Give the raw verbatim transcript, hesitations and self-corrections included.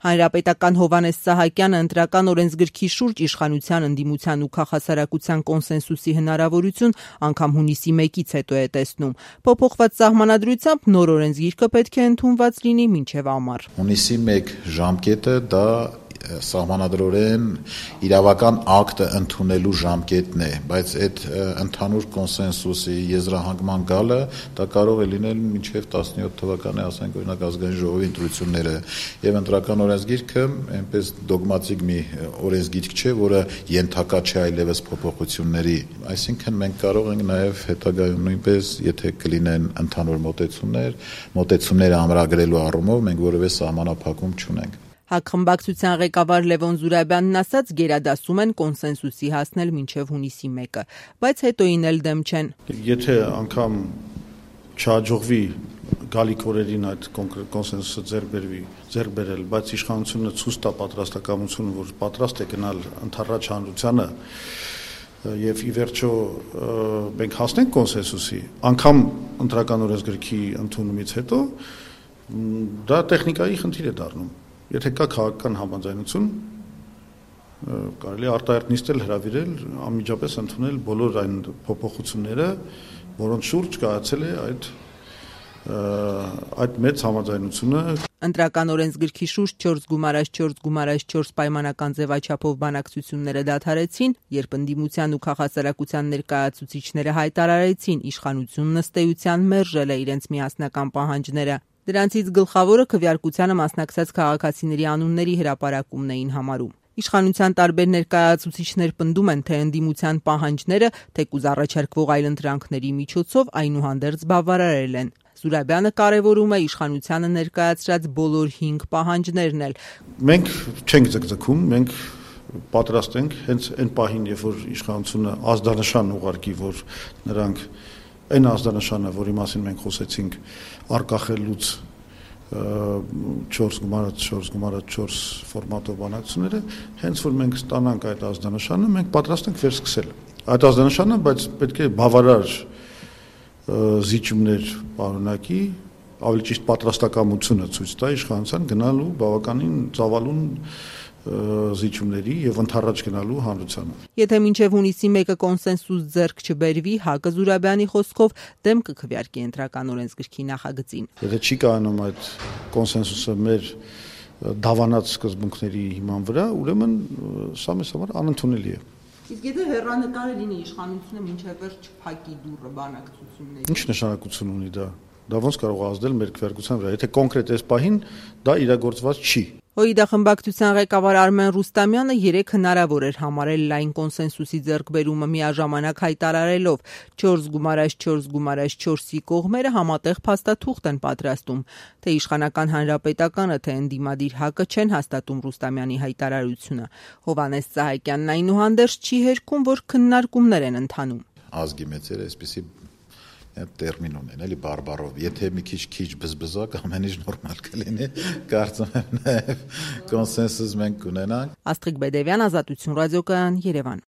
Հանրապետական Հովհաննես Սահակյանը ընտրական օրենսգրքի շուրջ իշխանության, ընդդիմության ու քաղաքասարակության կոնսենսուսի հնարավորություն անգամ հունիսի մեկից հետո է տեսնում։ Փոփոխված սահմանադրությամբ նոր օրենսգիրքը պետք է ընդունված լինի մինչև ամառ։ Հունիսի մեկ ժամկետը դա սահմանադրորեն իրավական ակտը ընդունելու ժամկետն է, բայց այդ ընդհանուր կոնսենսուսի եզրահանգման գալը դա կարող է լինել մինչև տասնյոթ թվականի, ասենք օրինակ ազգային ժողովի ընտրությունները, եւ ընտրական օրենսգիրքը այնպես դոգմատիկ մի օրենսգիրք չէ, որը ենթակա չէ այլևս փոփոխությունների, այսինքն մենք կարող ենք նաեւ հետագայում նույնպես, եթե կլինեն ընդհանուր մոտեցումներ, մոտեցումները ամրագրելու առումով մենք որևէ սահմանափակում չունենք։ Հակխմբակցության ղեկավար Լևոն Զուրաբյանն ասաց, գերադասում են կոնսենսուսի հասնել մինչև հունիսի մեկը, բայց հետոին էլ դեմ չեն։ Եթե անգամ չհաջողվի գալիք օրերին այդ կոնսենսուսը ձեռք բերվի, ձեռք բերել, բայց իշխանությունը ցույց տա պատրաստակամություն, որ պատրաստ է գնալ ընդառաջ հանրությանը, եւ ի վերջո մենք հասնենք կոնսենսուսի, անգամ ընտրական օրենսգրքի ընդունումից հետո դա տեխնիկայի խնդիր է դառնում։ Եթե կա քաղաքական համաձայնություն, կարելի է արտահերթ նիստել, հրավիրել, անմիջապես ընդունել բոլոր այն փոփոխությունները, որոնց շուրջ կայացել է այդ այդ մեծ համաձայնությունը։ Ընտրական օրենսգրքի շուրջ չորս գումարած չորս գումարած չորս պայմանական ձևաչափով բանակցությունները դադարեցին, երբ ընդդիմության ու քաղաքասարակության ներկայացուցիչները հայտարարեցին, իշխանությունն ըստ էության մերժել է իրենց միասնական պահանջները։ Դրանցից գլխավորը քվեարկությանը մասնակցած քաղաքացիների անունների հրապարակումն էին համարում։ Իշխանության տարբեր ներկայացուցիչներ պնդում են, թե ընդդիմության պահանջները, թեկուզ առաջարկվող այլընտրանքների միջոցով այնուհանդերձ բավարարել են։ Զուրաբյանը կարևորում է իշխանությանը ներկայացրած բոլոր հինգ պահանջներն էլ։ Մենք չենք ձգձգում, մենք պատրաստ ենք հենց այն պահին, երբ որ իշխանությունը ազդանշան ուղարկի, որ նրանք այն ազդանշանը, որի մասին մենք խոսեցինք, արկախելուց չորս գումարած չորս գումարած չորս ֆորմատով բանակցությունները, հենց որ մենք ստանանք այդ ազդանշանը, մենք պատրաստ ենք վերսկսել։ Այդ ազդանշանը, բայց պետք է բավարար զիջումներ պարունակի, ավելի ճիշտ պատրաստակամությունը ցույց տա իշխանության գնալու բավականին ծավալուն զիջումների եւ ընդառաջ գնալու հանրությանը։ Եթե մինչև հունիսի մեկը կոնսենսուս ձեռք չբերվի, Հակը Զուրաբյանի խոսքով դեմ կքվեարկի ընտրական օրենսգրքի նախագծին։ Եթե չի կայանում այդ կոնսենսուսը մեր դավանած սկզբունքների հիման վրա, ուրեմն սա մեզ համար անընդունելի է։ Իսկ եթե հեռանկարը լինի իշխանությունը մինչև վերջ չփակի դուռը բանակցությունների։ Ինչ նշանակություն ունի դա։ Դա ոնց կարող է ազդել մեր քվեարկության վրա, եթե կոնկրետ այս պահին դա իրագործված չի։ ՀՅԴ խմբակցության ղեկավար Արմեն Ռուստամյանը երեկ հնարավոր էր համարել լայն կոնսենսուսի ձեռքբերումը միաժամանակ հայտարարելով չորս գումարած չորս գումարած չորսի կողմերը համատեղ փաստաթուղթ են պատրաստում, թե իշխանական հանրապետականը, թե ընդդիմադիր Հակը չեն հաստատում Ռուստամյանի հայտարարությունը։ Հովհաննես Սահակյանն այնուհանդերձ չի հերքում, որ քննարկումներ են ընթանում։ Ազգի մեծերը այսպեսի տերմին ունեն, էլի բարբարով, եթե մի քիչ քիչ բզբզակ ամեն ինչ նորմալ կլինի, կարծում եմ նաև կոնսենսուս մենք կունենանք։ Աստղիկ Բեդևյան, Ազատություն ռադիոկայան, Երևան։